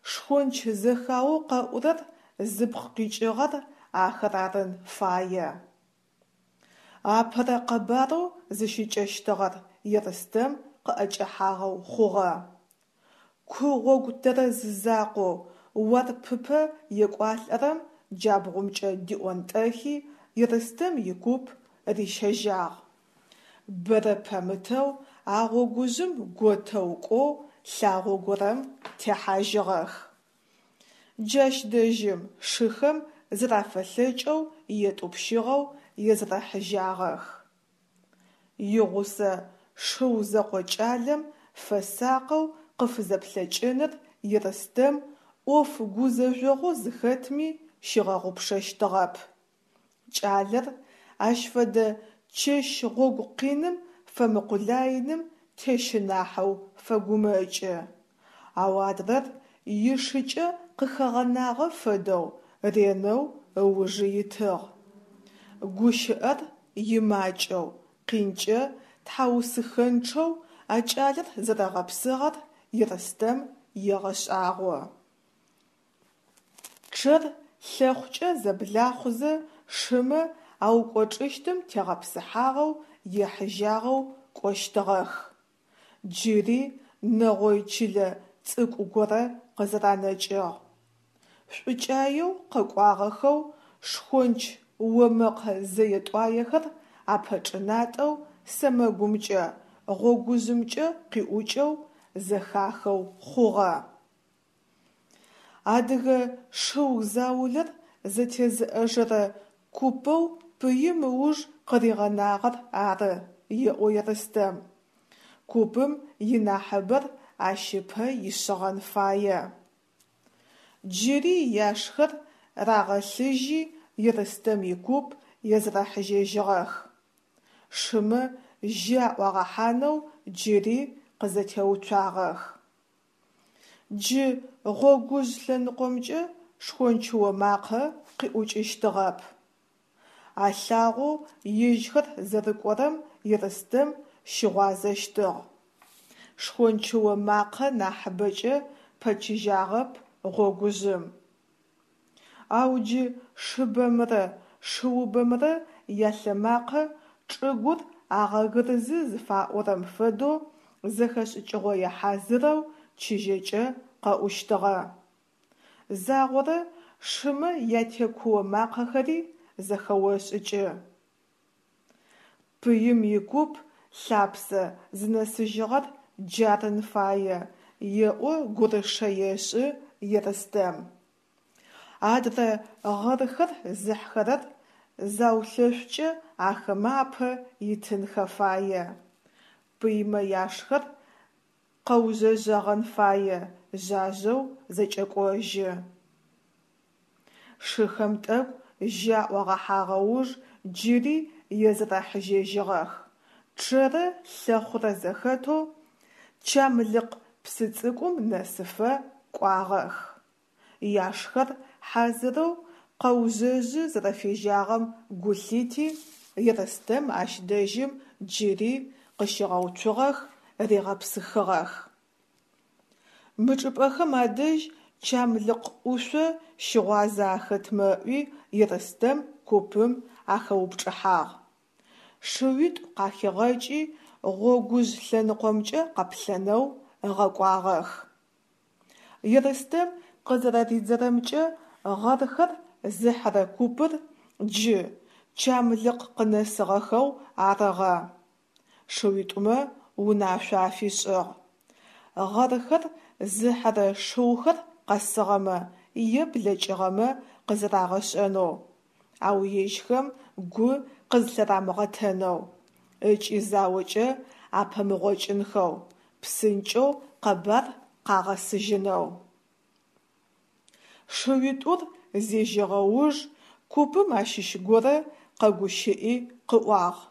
Шхонч зэхаоу къэӏурэр зыпкъ къикӏыгъэр ахэр арын фае. Апэрэ къэбарэу зыщыкӏэщтыгъэр Ерстэм къыӏэкӏэхьагъэу хъугъэ. Ку гъогу тэрэз закъоу Уарпыпэ екӏуалӏэрэм джабгъумкӏэ диӏонтӏэхи, Ерстэм икуп рищэжьагъ. Бэрэ пэмытэу а гъогужъым готэу кӏоу лъагъо горэм техьажьыгъэх. Джащ дэжьым шыхэм зэрафэлъэкӏэу етӏупщыгъэу езэрэхьыжьагъэх. Игъусэ шыу зэкъо кӏалэм фэсакъэу къыфызэплъэкӏыныр Ерстэм ӏоф гузэжъогъоу зыхэтми щигъэгъупшэщтыгъэп. Кӏалэр ащ фэдэ чэщ гъогу къиным фэмыкъулаиным тещынахьэу фэгумэкӏы. Ау адрэр ишыкӏэ къыхэгъэнагъэ фэдэу ренэу ыужы итыгъ. Гущыӏэр имакӏэу, къинкӏэ тхьаусыхэнчъэу а кӏалэр зэрэгъэпсыгъэр Ерстэм егъэшӏагъо. Чъэр лъэхъукӏэ зэблахъузэ шымэ аукӏочӏыщтым тегъэпсыхьагъэу ехьыжьагъэу кӏощтыгъэх. Джыри нэгъой чылэ цӏыкӏу горэ къызэранэкӏыгъ. Шӏукӏаеу къэкӏуагъэхэу шхонч омэкъэ зэе-тӏуаехэр апэчӏынатӏэу сэмэгумкӏэ, гъогужъымкӏэ къиӏукӏэу зэхахэу хъугъэ. Адыгэ шыу заулэр зэтезыӏэжэрэ купэу пыим ыуж къыригъэнагъэр ары, еӏо Ерстэм. Купым инахьыбэр ащ ыпэ ишъыгъэн фае. Джыри яшхэр рагъэлъыжьи Ерстэм икуп езэрэхьыжьэжьыгъэх. Шымэ жьы аӏуагъэхьанэу джыри къызэтеуцуагъэх. Джы гъогужъ лъэныкъомкӏэ шхончыо макъэ къиӏукӏыщтыгъэп. А лъагъоу ежьхэр зэрыкӏорэм Ерстэм щыгъуазэщтыгъ. Шхончыо макъэ нахьыбэкӏэ пэчыжьагъэп гъогужъым. Ау джы шыбэмрэ шыубэмрэ ялъэмакъэ чӏыгур агъэгырзы зыфаӏорэм фэдэу зэхэшӏыкӏыгъое хьазырэу чыжьэкӏэ къэӏущтыгъэ. Загъорэ шымэ ятекуо макъэхэри зэхэошӏыкӏы. Пыим икуп лъапсэ зынэсыжьыгъэр джарын фае, еӏо гурышэ ешӏы Ерстэм. Адрэ гъэрхэр зыхьхэрэр заулъэшъукӏэ ахэмэ апэ итынхэ фае. Пыймэ яшхэр къэужъэжъэгъэн фае, жъажъэу зэкӏэкӏожьы. Шыхэм тӏэкӏу жьы аӏуагъэхьагъэ уж джыри езэрэхьыжьэжьыгъэх. Чъэрэ лъэхъурэ зэхэтэу Чамлыкъ псы цӏыкӏум нэсыфэ кӏуагъэх. Яшхэр хьазырэу къэужъэжъы зэрэфежьагъэм гу лъити, Ерстэм ащ дэжьым джыри къыщигъэуцугъэх, ригъэпсыхыгъэх. Мы чӏыпӏэхэм адэжь Чамлыкъ ӏушъо щыгъуазэ ахэтмэ ыӏуи, Ерстэм купым ахэупчӏыхьагъ. Шыуитӏу къахигъэкӏи, гъогужъ лъэныкъомкӏэ къэплъэнэу ыгъэкӏуагъэх. Ерстэм къызэрэридзэрэмкӏэ, гъэрхэр зыхьырэ купыр джы Чамлыкъ къынэсыгъэхэу арыгъэ. Шыуитӏумэ унашъо афишӏыгъ: гъэрхэр зыхьырэ шыухэр къэсыгъэмэ е блэкӏыгъэмэ къызэрагъэшӏэнэу, ау ежьхэм гу къызлъырамыгъэтэнэу ыкӏи заокӏэ апэмыгъокӏынхэу, псынкӏэу къэбар къагъэсыжьынэу. Шыуитӏур зежьэгъэ уж купым ащыщ горэ къэгущыӏи къыӏуагъ: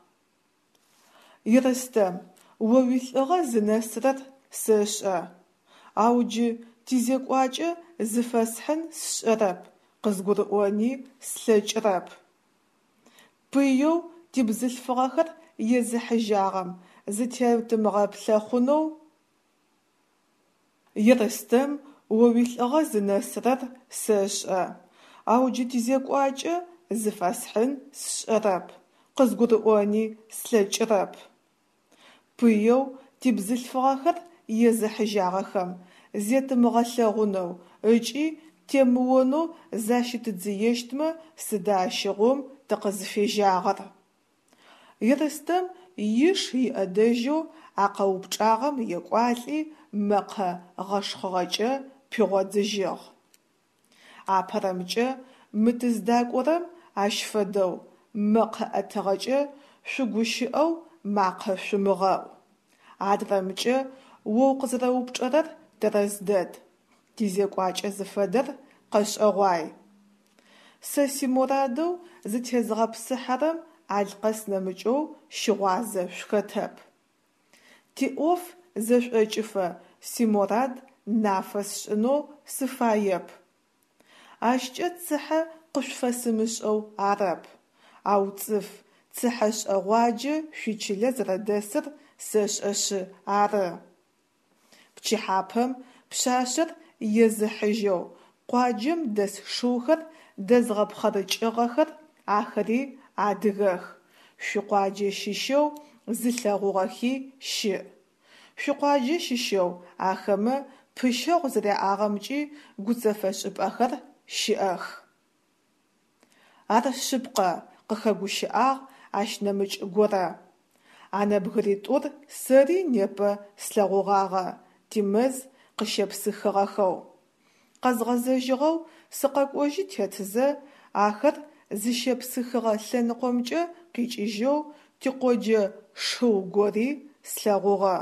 Ерстэм, о уилӏыгъэ зынэсырэр сэшӏэ, ау джы тизекӏуакӏэ зыфэсхьын сшӏэрэп, къызгурыӏони слъэкӏырэп. Пыеу тибзылъфыгъэхэр езыхьыжьагъэм зытетымыгъэплъэхъунэу Ерстэм, о уилӏыгъэ зынэсырэр сэшӏэ, ау джы тизекӏуакӏэ зыфэсхьын сшӏэрэп, къызгурыӏони слъэкӏырэп. Пыеу тибзылъфыгъэхэр езыхьыжьагъэхэм зетымыгъэлъэгъунэу ыкӏи темыонэу защытыдзыещтмэ сыда ащыгъум тыкъызфежьагъэр? Ерстэм иш иӏэдэжьэу а къэупчӏагъэм екӏуалӏи мэкъэ гъэшхъыгъэкӏэ пигъодзыжьыгъ. Апэрэмкӏэ мы тыздакӏорэм ащ фэдэу мэкъэ ӏэтыгъэкӏэ шъугущыӏэу макъэ шъумыгъэӏу. Адрэмкӏэ о укъызэрэупчӏэрэр тэрэз дэд, тизекӏуакӏэ зыфэдэр къэшӏэгъуай. Сэ симорадэу зытезгъэпсыхьэрэм Алъкъэс нэмыкӏэу щыгъуазэ шъухэтэп. Тиӏоф зэшӏокӏыфэ симорад нафэ сшӏынэу сыфаеп. Ащкӏэ цыхьэ къышъуфэсымышӏэу арэп, ау цӏыф цыхьэшӏэгъуаджэ шъуичылэ зэрэдэсыр сэшӏэшъы ары. Пчыхьапэм пшъашъэр езыхьыжьэу къуаджэм дэс шыухэр дэзгъэпхъэрыкӏыгъэхэр, ахэри адыгэх, шъуикъуаджэ щыщэу зылъэгъугъэхи щыӏ. Шъуикъуаджэ щыщэу ахэмэ пыщэгъу зэряӏагъэмкӏи гуцэфэшӏыпӏэхэр щыӏэх. Ар шъыпкъэ, къыхэгущыӏагъ ащ нэмыкӏ горэ. А нэбгыритӏур сэри непэ слъэгъугъагъэ тимэз къыщепсыхыгъэхэу. Къэзгъэзэжьыгъэу сыкъэкӏожьы тетзэ, ахэр зыщепсыхыгъэ лъэныкъомкӏэ къикӏыжьэу тикъоджэ шыу гори слъэгъугъэ.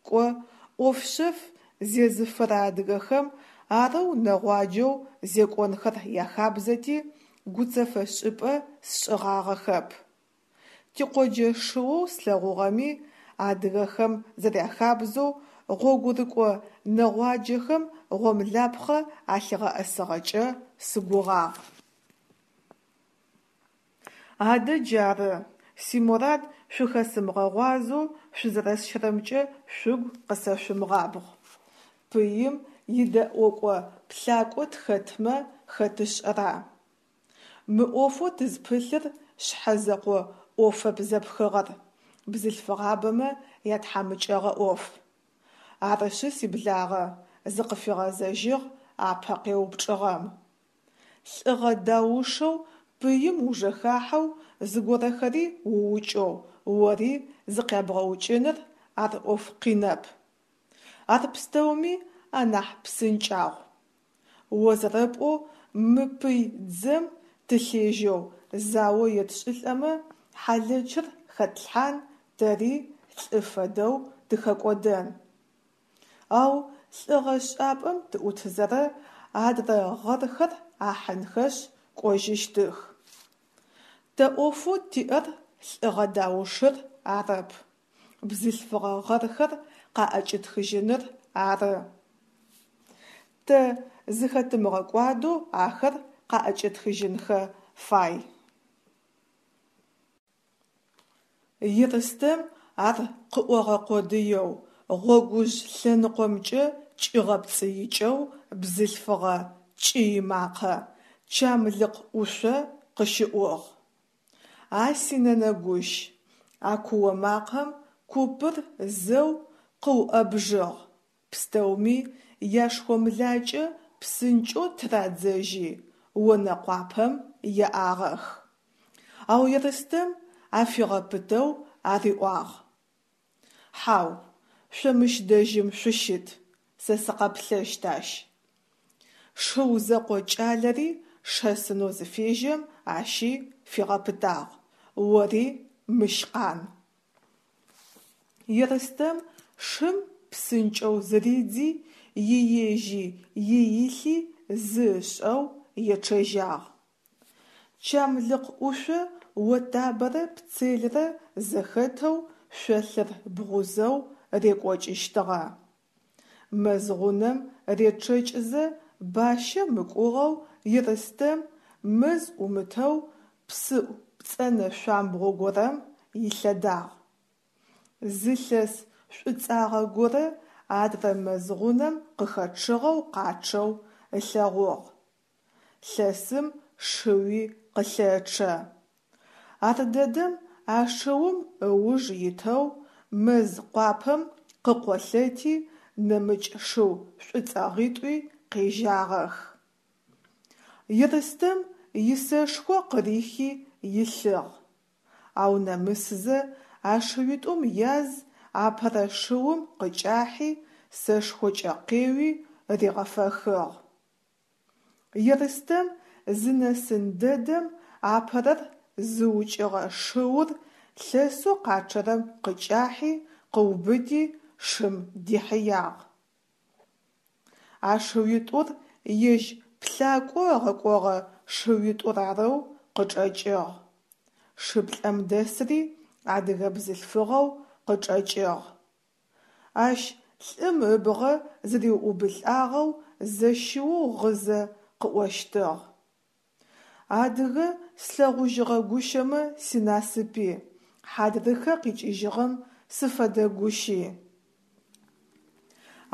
Кӏо, ӏоф шъэф зезыфэрэ адыгэхэм арэу нэгъуаджэу зекӏонхэр яхабзэти, гуцэфэшӏыпӏэ сшӏыгъагъэхэп. Тикъоджэ шыоу слъэгъугъэми, адыгэхэм зэряхабзэу, гъогурыкӏо нэгъуаджэхэм гъомлапхъэ алъигъэӏэсыгъэкӏэ сыгугъагъ. Адэ джары, симорад шъухэсымыгъэгъуазэу шъузэрэсщэрэмкӏэ шъугу къысэшъумыгъабгъ. Пыим идэӏокӏо-плъакӏо тхэтмэ хэт ышӏэра? Мы ӏофэу тызпылъыр шъхьэзэкъо ӏофэп зэпхыгъэр, бзылъфыгъабэмэ ятхьамыкӏэгъо ӏоф. Арышъы, сиблагъэ, зыкъыфигъэзэжьыгъ апэ къеупчӏыгъэм. Лӏыгъэ даушэу пыим ужэхахьэу зыгорэхэри уукӏэу ори зыкъябгъэукӏыныр ар ӏоф къинэп. Ар пстэуми анахь псынкӏагъу. О зэрэпӏоу мы пый дзэм тылъежьэу зао етшӏылӏэмэ, хьалэчыр хэтлъхьан, тэри лӏы фэдэу тыхэкӏодэн. Ау лӏыгъэшӏапӏэм тыӏутызэрэ адрэ гъэрхэр ахьынхэшъ кӏожьыщтых. Тэ ӏофэу тиӏэр лӏыгъэ даушыр арэп, бзылъфыгъэ гъэрхэр къаӏэкӏэтхыжьыныр ары. Тэ зыхэтымыгъэкӏуадэу ахэр къаӏэкӏэтхыжьынхэ фай. Ерстэм ар къыӏогъэ къодыеу, гъогужъ лъэныкъомкӏэ кӏигъэпцӏыикӏэу бзылъфыгъэ кӏый макъэ Чамлыкъ ӏушъо къыщыӏугъ. А синэнэ гущ! А куо макъэм купыр зэу къыуӏэбжьыгъ, пстэуми яшхомлакӏэ псынкӏэу тырадзэжьи, онэ къуапэм еӏагъэх. Ау Ерстэм афигъэпытэу ариӏуагъ: Хьау, шъо мыщ дэжьым шъущыт, сэ сыкъэплъэщт ащ. Шыу зэкъо кӏалэри шэсынэу зыфежьэм ащи фигъэпытагъ: Ори мыщ къан. Ерстэм шым псынкӏэу зыридзи, иежьи иилъи зы ышӏэу ечъэжьагъ. Чамлыкъ ӏушъо Отабэрэ Пцелрэ зэхэтэу шъолъыр бгъузэу рекӏокӏыщтыгъэ. Мэз гъунэм речъэкӏызэ бащэ мыкӏугъэу Ерстэм мэз ӏумытэу псыӏу пцӏэнэ шъуамбгъо горэм илъэдагъ. Зы лъэс шӏуцӏагъэ горэ адрэ мэз гъунэм къыхэчъыгъэу къачъэу ылъэгъугъ. Лъэсым шыуи къылъэчъэ. Ардэдэм а шыум ыуж итэу мэз къуапэм къыкъолъэти нэмыкӏ шыу шӏуцӏэгъитӏуи къежьагъэх. Ерстэм исэшхо къырихи илъыгъ. Ау нэмысызэ а шыуитӏум яз апэрэ шыум къыкӏахьи сэшхокӏэ къеуи ригъэфэхыгъ. Ерстэм зынэсын дэдэм апэрэр зыукӏыгъэ шыур лъэсэу къачъэрэм къыкӏахьи къыубыти шым дихьыягъ. А шыуитӏур ежь плъакӏо ыгъэкӏогъэ шыуитӏур арэу къычӏэкӏыгъ. Шыплӏэм дэсри адыгэ бзылъфыгъэу къычӏэкӏыгъ. Ащ лӏым ыбгъэ зыриуӏубылӏагъэу зэщыоу гъызэ къыӏощтыгъ: Адыгэ слъэгъужьыгъэ гущэмэ синасыпи, хьадрыхэ къикӏыжьыгъэм сыфэдэгущи.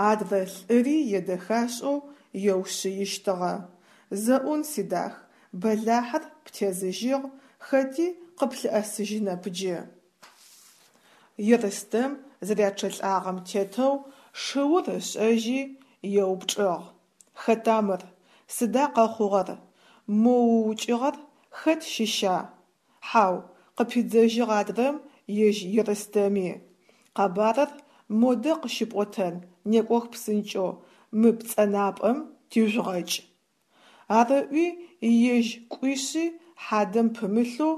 Адрэ лӏыри едэхашӏэу еушъыищтыгъэ: Зэӏун, сидах, бэлахьыр птезыжьыгъ, хэти къыплъыӏэсыжьынэп джы. Ерстэм зэрячъэлӏагъэм тетэу шыур ышӏэжьи, еупчӏыгъ: Хэта мыр, сыда къэхъугъэр, мо уукӏыгъэр хэт щыща? Хьау, къыпидзэжьыгъ адрэм ежь Ерстэми. Къэбарыр модэ къыщыпӏотэн, некӏох псынкӏэу, мы пцӏэнапӏэм тижъугъэкӏ. Ар ыӏуи ежь кӏуишъи хьадэм пымылъэу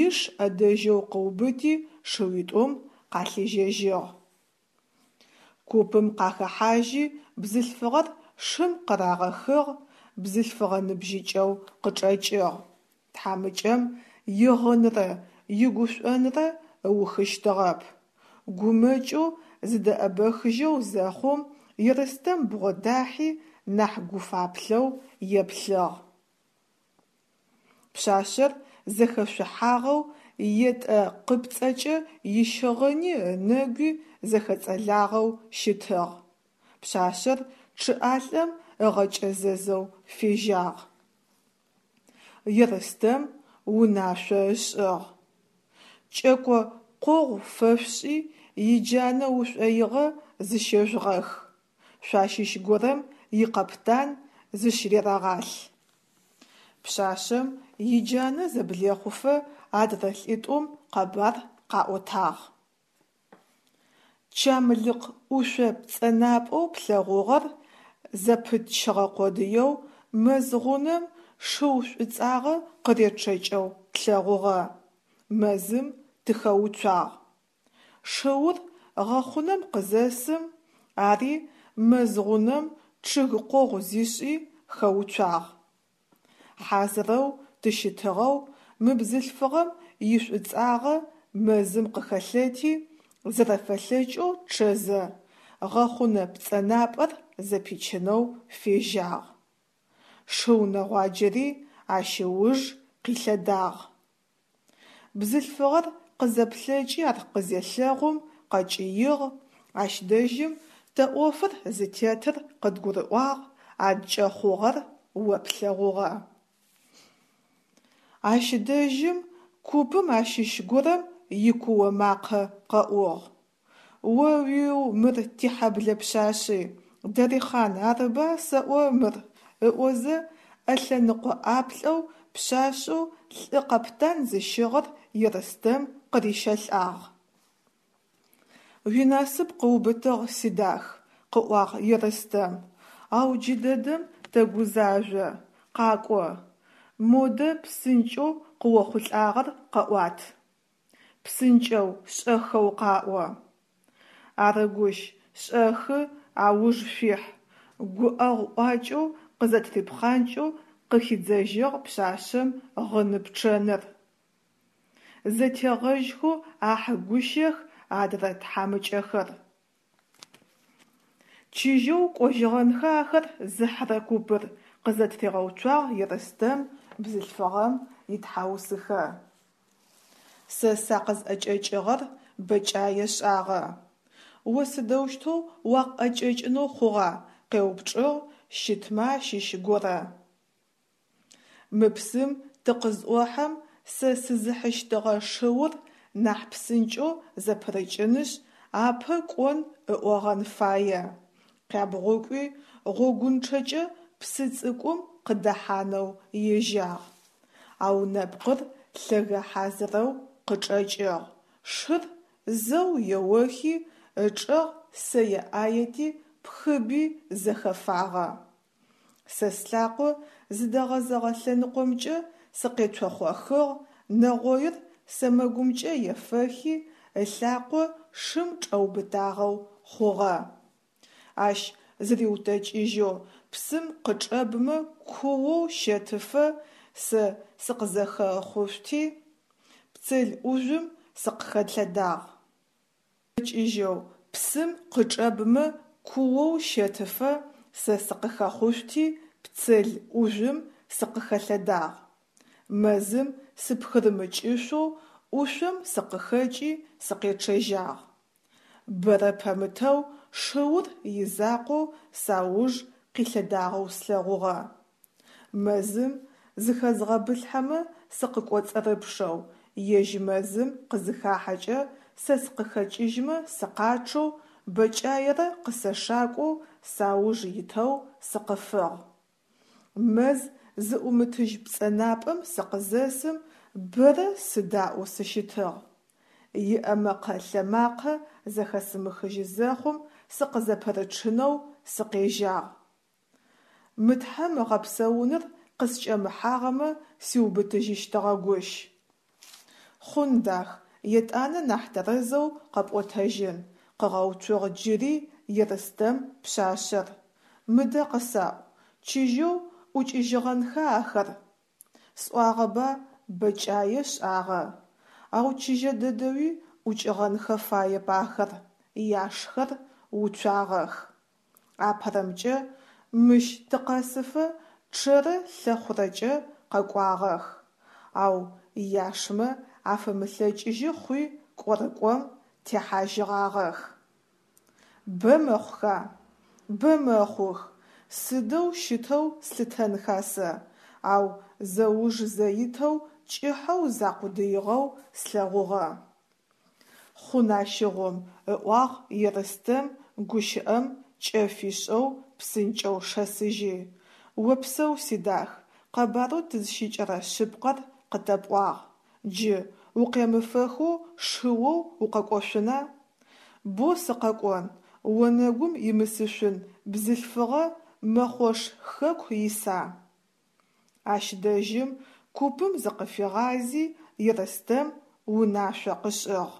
иш ӏэдэжьэу къыубыти шыуитӏум къалъежьэжьыгъ. Купым къахэхьажьи бзылъфыгъэр шым къырагъэхыгъ, бзылъфыгъэ ныбжьыкӏэу къычӏэкӏыгъ. Тхьамыкӏэм игъынрэ игушӏонрэ ыухыщтыгъэп. Гумэкӏэу зыдэӏэбэхыжьэу зэхъум Ерстэм бгъодахьи нахь гуфаплъэу еплъыгъ. Пшъашъэр зэхэшъухьагъэу етӏэ къыпцӏэкӏэ ищыгъыни ынэгуи зэхэцӏэлагъэу щытыгъ. Пшъашъэр чъыӏалӏэм ыгъэкӏэзэзэу фежьагъ. Ерстэм унашъо ышӏыгъ: Кӏэко къогъу фэшъушӏи иджанэ ушӏоигъэ зыщежъугъэх, шъуащыщ горэм икъэптан зыщырерэгъалъ. Пшъашъэм иджанэ зэблехъуфэ адрэ лӏитӏум къэбар къаӏотагъ. Чамлыкъ ӏушъо пцӏэнапӏэу плъэгъугъэр зэпытчыгъэ къодыеу мэз гъунэм шыу шӏуцӏагъэ къыречъэкӏэу тлъэгъугъэ, мэзым тыхэуцуагъ. Шыур гъэхъунэм къызэсым, ари мэз гъунэм чъыг къогъу зишӏи хэуцуагъ. Хьазырэу тыщытыгъэу мы бзылъфыгъэм ишӏуцӏагъэ мэзым къыхэлъэти, зэрэфэлъэкӏэу чъэзэ, гъэхъунэ пцӏэнапӏэр зэпичынэу фежьагъ. Шыу нэгъуаджэри ащ ыуж къилъэдагъ. Бзылъфыгъэр къызэплъэкӏи ар къызелъэгъум къэкӏыигъ, ащ дэжьым тэ ӏофыр зытетыр къыдгурыӏуагъ, адкӏэ хъугъэр о плъэгъугъэ. Ащ дэжьым Купым ащыщ горэм икуо макъэ къэӏугъ: «О-уиу, мыр тихьэблэ пшъашъи, Дарихъан арыба сэӏо мыр?» – ыӏозэ, ӏэлъэныкъо ӏаплӏэу пшъашъэу лӏы къэптан зыщыгъыр Ерстэм къырищэлӏагъ. Уинасып къыубытыгъ, сидах, – къыӏуагъ Ерстэм, – ау джыдэдэм тэгузажъо, къакӏо, модэ псынкӏэу къыохъулӏагъэр къэӏуат. Псынкӏэу, шӏэхэу къаӏо. Арыгущ, шӏэхы ауж шъуихь, – гуӏэгъу ӏуакӏэу къызэтырипхъанкӏэу къыхидзэжьыгъ пшъашъэм гъыны-пчъэныр. Зэтегъэжьхэу ахьы гущэх адрэ тхьамыкӏэхэр. Чыжьэу кӏожьыгъэнха ахэр зыхьырэ купыр, къызэтыригъэуцуагъ Ерстэм бзылъфыгъэм итхьаусыхэ. Сэ сакъызӏэкӏэкӏыгъэр бэкӏае шӏагъэ. О сыдэущтэу уакъыӏэкӏэкӏынэу хъугъа? – къеупчӏыгъ щытмэ ащыщ горэ. Мы псым тыкъызӏохьэм сэ сызыхьыщтыгъэ шыур нахь псынкӏэу зэпырыкӏынышъ апэ кӏон ыӏогъэн фае, къябгъукӏуи гъогунчъэкӏэ псы цӏыкӏум къыдэхьанэу ежьагъ. Ау нэпкъыр лъэгэ хьазырэу къычӏэкӏыгъ, шыр зэу еохи ычӏэгъ сэе ӏаети пхыби зэхэфагъэ. Сэ слъакъо зыдэгъэзэгъэ лъэныкъомкӏэ сыкъецохъохыгъ, нэгъоир сэмэгумкӏэ ефэхи, ылъакъо шым чӏэубытагъэу хъугъэ. Ащ зыриутэкӏыжьэу псым къычӏэбмэ куоу щэтыфэ сэ сыкъызэхэхъушъути, пцел ӏужъум сыкъыхэлъэдагъ. Кӏыжьэу псым къычӏэбмэ куоу щэтыфэ сэ сыкъыхэхъушъути, пцел ӏужъум сыкъыхэлъэдагъ. Мэзым сыпхырымыкӏышъоу ӏушъом сыкъыхэкӏи сыкъечъэжьагъ. Бэрэ пэмытэу шыур изакъоу сауж къилъэдагъэу слъэгъугъэ. Мэзым зыхэзгъэбылъхьэмэ сыкъыкӏоцӏырыпшэу, ежь мэзым къызыхахьэкӏэ сэ сыкъыхэкӏыжьмэ сыкъачъэу, бэкӏаерэ къысэшакӏоу сауж итэу сыкъыфыгъ. Мэз зыӏумытыжь пцӏэнапӏэм сыкъызэсым бэрэ сыдаӏоу сыщытыгъ. Иӏэмэкъэ-лъэмакъэ зэхэсымыхыжьы зэхъум сыкъызэпырычъынэу сыкъежьагъ. Мы Тхьэм ыгъэпсэуныр къыскӏэмыхьагъэмэ сиубытыжьыщтыгъэгущ. Хъун, дах, етӏанэ нахь тэрэзэу къэпӏотэжьын, къыгъэуцугъ джыри Ерстэм пшъашъэр. Мыдэ къысаӏу, чыжьэу ӏукӏыжьыгъэнха ахэр? Сӏуагъэба бэкӏае шӏагъэ. Ау чыжьэ дэдэуи ӏукӏыгъэнхэ фаеп ахэр, яшхэр уцуагъэх. Апэрэмкӏэ, мыщ тыкъэсыфэ чъэрэ лъэхъурэкӏэ къэкӏуагъэх, ау яшмэ афэмылъэкӏыжьы хъуи кӏорыкӏом техьажьыгъагъэх. Бэ мэхъуха? Бэ мэхъух. Сыдэу щытэу слъытэнха сэ, ау зэуж-зэитэу кӏыхьэу закъудыигъэу слъэгъугъэ. Хъун ащыгъум, ыӏуагъ Ерстэм гущыӏэм кӏэ фишӏэу псынкӏэу шэсыжьи. Опсэу, сидах, къэбарэу тызщыкӏэрэ шъыпкъэр къытэпӏуагъ. Джы укъемыфэхэу шыоу укъэкӏошъуна? Бо сыкъэкӏон, онэгум имысышъун бзылъфыгъэ Мэхъош хэку иса? Ащ дэжьым купым зыкъыфигъази Ерстэм унашъо къышӏыгъ.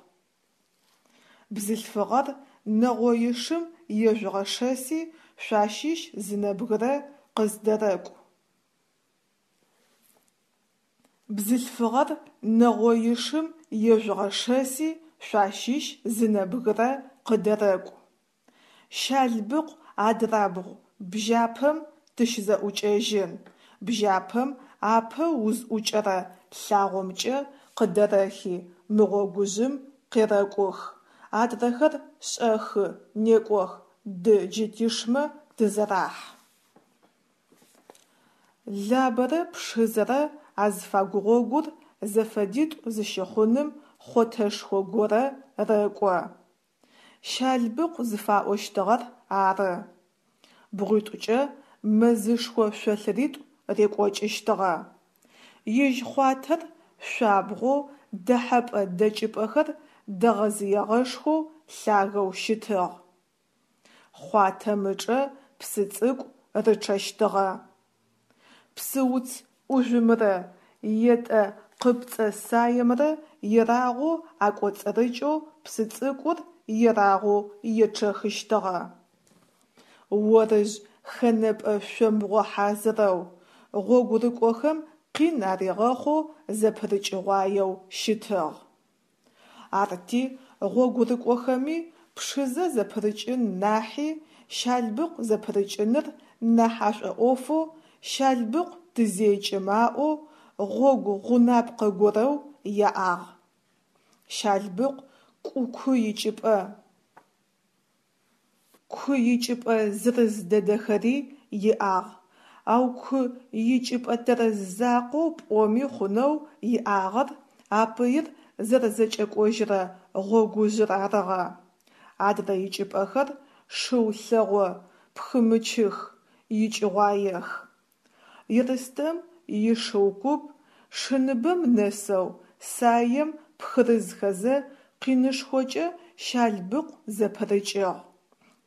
Бзылъфыгъэр нэгъоишым ежъугъэшэси шъуащыщ зы нэбгырэ къыздэрэкӏу. Бзылъфыгъэр нэгъоишым ежъугъэшэси шъуащыщ зы нэбгырэ къыдэрэкӏу. Щалбыкъу адрабгъу бжьапэм тыщызэӏукӏэжьын, бжьапэм апэ узӏукӏэрэ лъагъомкӏэ къыдэрэхи мы гъогужъым къерэкӏух, адрэхэр шӏэхы, некӏох, ды джы тишмэ тызэрахь. Лабэрэ Пшызэрэ азыфагу гъогур зэфэдитӏу зыщыхъуным хъотэшхо горэ рэкӏо. Щалбыкъу зыфаӏощтыгъэр ары. Бгъуитӏукӏэ мэзышхо шъолъыритӏу рекӏокӏыщтыгъэ. Ежь хъуатэр шъуабгъоу, дэхьэпӏэ-дэкӏыпӏэхэр дэгъэзыегъэшхоу лъагэу щытыгъ. Хъуатэм ычӏэ псы цӏыкӏу рычъэщтыгъэ. Псыуц ӏужъумрэ етӏэ къыпцӏэ саемрэ ерагъоу акӏоцӏырыкӏэу псы цӏыкӏур ерагъоу ечъэхыщтыгъэ. Орыжъ хэнэпӏэ шъомбгъо хьазырэу, гъогурыкӏохэм къин аригъэхъоу зэпырыкӏыгъуаеу щытыгъ. Арти гъогурыкӏохэми Пшызэ зэпырыкӏын нахьи Щалбыкъу зэпырыкӏыныр нахь ашӏоӏофэу Щалбыкъу тызекӏым аӏоу гъогу гъунапкъэ горэу яӏагъ. Щалбыкъу ку икӏыпӏэ. Ку икӏыпӏэ зырыз дэдэхэри иӏагъ, ау ку икӏыпӏэ тэрэз закъоу пӏоми хъунэу иӏагъэр а пыир зэрэзэкӏэкӏожьырэ гъогужъыр арыгъэ. Адрэ икӏыпӏэхэр шыу лъэгъо пхымычых, икӏыгъуаех. Ерстэм ишыу куп шыныбэм нэсэу саем пхырызхэзэ къинышхокӏэ Щалбыкъу зэпырыкӏыгъ.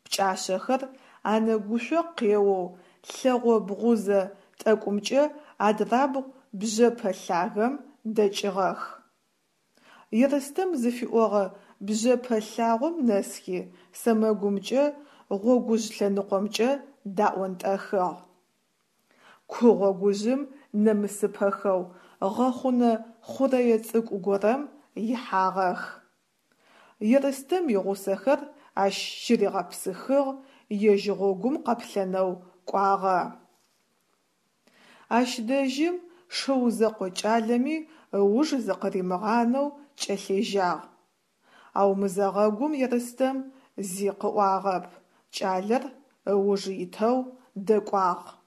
Пкӏашъэхэр анэгушъо къеоу лъэгъо бгъузэ тӏэкӏумкӏэ адырабгъу бжъэпэ лъагэм дэкӏыгъэх. Ерстэм зыфиӏогъэ бжъэпэ лъагъом нэсхи, сэмэгумкӏэ гъогужъ лъэныкъомкӏэ даӏонтӏэхыгъ. Ку гъогужъым нэмысыпэхэу гъэхъунэ хъурэе цӏыкӏу горэм ихьагъэх. Ерстэм игъусэхэр ащ щыригъэпсыхыгъ, ежь гъогум къэплъэнэу кӏуагъэ. Ащ дэжьым шыу зэкъо кӏалэми ыуж зыкъыримыгъанэу кӏэлъежьагъ. Ау мызэгъэгум Ерстэм зи къыӏуагъэп, кӏалэр ыуж итэу дэкӏуагъ.